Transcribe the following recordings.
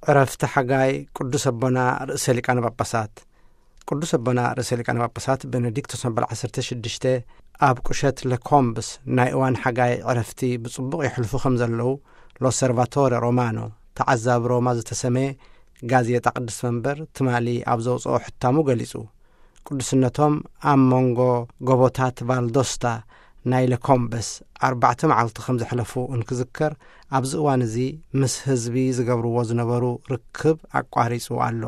ዕረፍቲ ሓጋይ ቅዱስ ኣቦና ርእሰ ሊቃነ ጳጳሳት። ቅዱስ ኣቦና ርእሰ ሊቃነ ጳጳሳት ቤኔዲክቶስ መበል ዓሰርተ ሽዱሽተ ኣብ ቁሸት ለኮምብስ ናይ እዋን ሓጋይ ዕረፍቲ ብጽቡቕ የሕልፉ ከም ዘለዉ ሎሰርቫቶረ ሮማኖ፣ ተዓዛቢ ሮማ ዝተሰመየ ጋዜጣ ቅድስት መንበር ትማሊ ኣብ ዘውጽኦ ሕታሙ ገሊጹ። ቅዱስነቶም ኣብ መንጎ ጎቦታት ቫልዶስታ ናይ ለኮምበስ ኣርባዕተ መዓልቲ ከም ዘሕለፉ እንክዝከር፣ ኣብዚ እዋን እዚ ምስ ህዝቢ ዝገብርዎ ዝነበሩ ርክብ ኣቋሪጹ ኣሎ።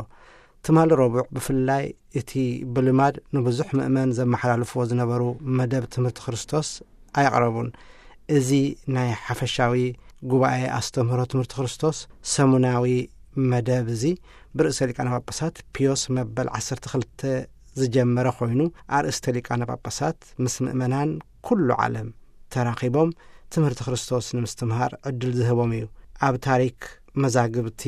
ትማሊ ረቡዕ ብፍላይ እቲ ብልማድ ንብዙሕ ምእመን ዘመሓላልፍዎ ዝነበሩ መደብ ትምህርቲ ክርስቶስ ኣየቕረቡን። እዚ ናይ ሓፈሻዊ ጉባኤ ኣስተምህሮ ትምህርቲ ክርስቶስ ሰሙናዊ መደብ እዚ ብርእሰ ሊቃነ ጳጳሳት ፒዮስ መበል ዓሰርተ ክልተ ዝጀመረ ኮይኑ፣ ኣርእስተ ሊቃነ ጳጳሳት ምስ ምእመናን ኩሉ ዓለም ተራኺቦም ትምህርቲ ክርስቶስ ንምስትምሃር ዕድል ዝህቦም እዩ። ኣብ ታሪክ መዛግብቲ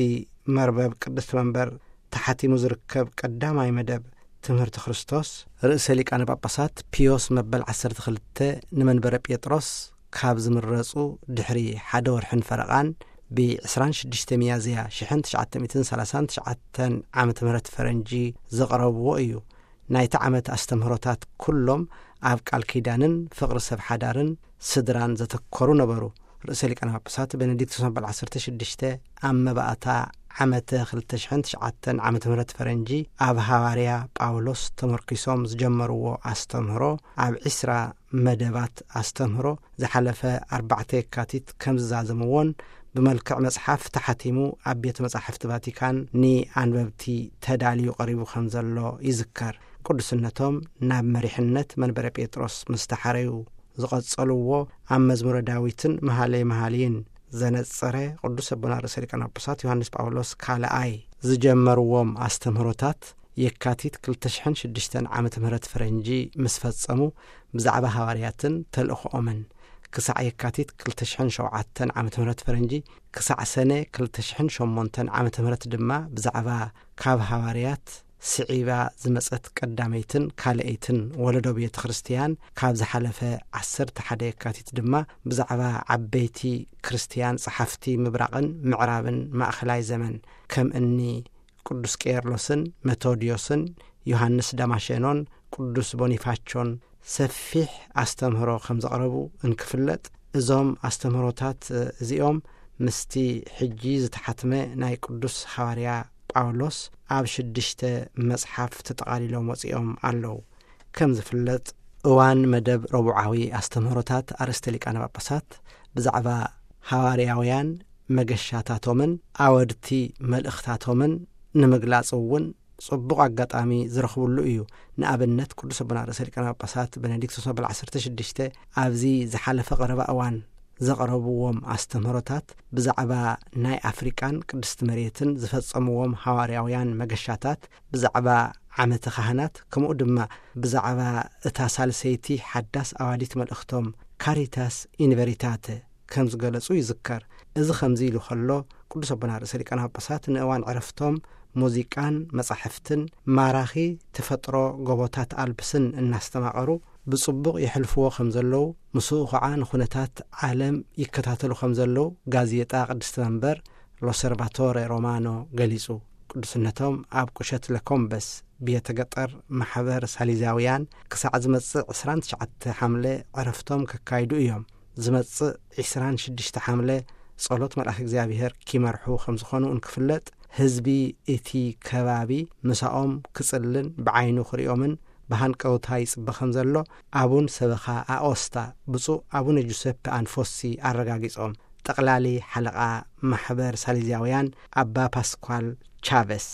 መርበብ ቅድስት መንበር ተሓቲሙ ዝርከብ ቀዳማይ መደብ ትምህርቲ ክርስቶስ፣ ርእሰ ሊቃነ ጳጳሳት ፒዮስ መበል ዓሰርተ ክልተ ንመንበረ ጴጥሮስ ካብ ዝምረጹ ድሕሪ ሓደ ወርሕን ፈረቓን፣ ብ ዕስራን ሽዱሽተ ሚያዝያ ሽሕን ትሽዓተ ሚእትን ሰላሳን ትሽዓተን ዓመተ ምህረት ፈረንጂ ዘቕረብዎ እዩ። ናይቲ ዓመት ኣስተምህሮታት ኩሎም ኣብ ቃል ኪዳንን ፍቕሪ ሰብ ሓዳርን ስድራን ዘተኮሩ ነበሩ። ርእሰ ሊቃነ ጳጳሳት ቤኔዲክቶስ መበል ዓሰርተ ሽዱሽተ ኣብ መባእታ ዓመተ ክልተ ሽሕን ትሽዓተን ዓመተ ምህረት ፈረንጂ ኣብ ሃዋርያ ጳውሎስ ተመርኪሶም ዝጀመርዎ ኣስተምህሮ፣ ኣብ ዕስራ መደባት ኣስተምህሮ ዝሓለፈ ኣርባዕተ የካቲት ከም ዝዛዘምዎን ብመልክዕ መጽሓፍ ተሓቲሙ ኣብ ቤተ መጻሕፍቲ ቫቲካን ንኣንበብቲ ተዳልዩ ቀሪቡ ከም ዘሎ ይዝከር። ቅዱስነቶም ናብ መሪሕነት መንበረ ጴጥሮስ ምስ ተሓረዩ ዝቐጸልዎ ኣብ መዝሙረ ዳዊትን መሃለይ መሃልይን ዘነጸረ ቅዱስ ኣቦና ርእሰ ሊቃነ ጳጳሳት ዮሃንስ ጳውሎስ ካልኣይ ዝጀመርዎም ኣስተምህሮታት የካቲት ክልተ ሽሕን ሽዱሽተን ዓመተ ምህረት ፈረንጂ ምስ ፈጸሙ፣ ብዛዕባ ሃዋርያትን ተልእኾኦምን ክሳዕ የካቲት ክልተ ሽሕን ሸውዓተን ዓመተ ምህረት ፈረንጂ፣ ክሳዕ ሰነ ክልተ ሽሕን ሸሞንተን ዓመተ ምህረት ድማ ብዛዕባ ካብ ሃዋርያት ስዒባ ዝመጸት ቀዳመይትን ካልኣይትን ወለዶ ቤተ ክርስቲያን፣ ካብ ዝሓለፈ ዓሰርተ ሓደ የካቲት ድማ ብዛዕባ ዓበይቲ ክርስቲያን ጸሓፍቲ ምብራቕን ምዕራብን ማእከላይ ዘመን፣ ከም እኒ ቅዱስ ቄርሎስን መቶድዮስን ዮሃንስ ዳማሸኖን ቅዱስ ቦኒፋቾን ሰፊሕ ኣስተምህሮ ከም ዘቕረቡ እንክፍለጥ፣ እዞም ኣስተምህሮታት እዚኦም ምስቲ ሕጂ ዝተሓትመ ናይ ቅዱስ ሃዋርያ ጳውሎስ ኣብ ሽዱሽተ መጽሓፍ ተጠቓሊሎም ወጺኦም ኣለዉ። ከም ዝፍለጥ፣ እዋን መደብ ረቡዓዊ ኣስተምህሮታት ኣርእስተ ሊቃነ ጳጳሳት ብዛዕባ ሃዋርያውያን መገሻታቶምን ኣወድቲ መልእኽታቶምን ንምግላጽ እውን ጽቡቕ ኣጋጣሚ ዝረኽብሉ እዩ። ንኣብነት፣ ቅዱስ ኣቦና ርእሰ ሊቃነ ጳጳሳት ቤኔዲክቶስ መበል ዓሰርተ ሽዱሽተ ኣብዚ ዝሓለፈ ቀረባ እዋን ዘቕረብዎም ኣስተምህሮታት ብዛዕባ ናይ ኣፍሪቃን ቅድስቲ መሬትን ዝፈጸምዎም ሃዋርያውያን መገሻታት፣ ብዛዕባ ዓመተ ካህናት፣ ከምኡ ድማ ብዛዕባ እታ ሳልሰይቲ ሓዳስ ኣዋዲት መልእኽቶም ካሪታስ ኢንቨሪታተ ከም ዝገለጹ ይዝከር። እዚ ከምዚ ኢሉ ከሎ፣ ቅዱስ ኣቦና ርእሰ ሊቃነ ጳጳሳት ንእዋን ዕረፍቶም ሙዚቃን መጻሕፍትን ማራኺ ተፈጥሮ ጎቦታት ኣልፕስን እናስተማቐሩ ብጽቡቕ የሕልፍዎ ከም ዘለዉ፣ ምስኡ ኸዓ ንኹነታት ዓለም ይከታተሉ ከም ዘለዉ ጋዜጣ ቅድስቲ መንበር ሎሰርቫቶረ ሮማኖ ገሊጹ። ቅዱስነቶም ኣብ ቁሸት ለኮምበስ ቤተ ገጠር ማሕበር ሳሊዛውያን ክሳዕ ዝመጽእ ዕስራን ትሽዓተ ሓምለ ዕረፍቶም ከካይዱ እዮም። ዝመጽእ ዕስራን ሽዱሽተ ሓምለ ጸሎት መልኣክ እግዚኣብሔር ኪመርሑ ከም ዝኾኑ እንክፍለጥ፣ ህዝቢ እቲ ከባቢ ምሳኦም ክጽልን ብዓይኑ ክሪኦምን ብሃንቀውታ ይጽበ ከም ዘሎ ኣቡን ሰበኻ ኣኦስታ ብፁዕ ኣቡነ ጁሰፕ ኣንፎሲ ኣረጋጊጾም። ጠቕላሊ ሓለቓ ማሕበር ሳሊዛውያን ኣባ ፓስኳል ቻቨስ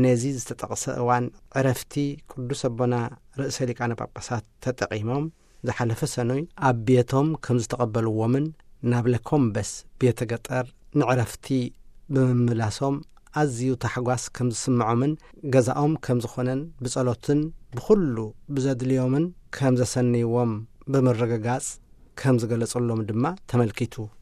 ነዚ ዝተጠቕሰ እዋን ዕረፍቲ ቅዱስ ኣቦና ርእሰ ሊቃነ ጳጳሳት ተጠቒሞም ዝሓለፈ ሰኑይ ኣብ ቤቶም ከም ዝተቐበልዎምን ናብ ለኮምበስ ቤተ ገጠር ንዕረፍቲ ብምምላሶም ኣዝዩ ታሕጓስ ከም ዝስምዖምን ገዛኦም ከም ዝኾነን ብጸሎትን ብኹሉ ብዘድልዮምን ከም ዘሰንይዎም ብምርግጋጽ ከም ዝገለጸሎም ድማ ተመልኪቱ።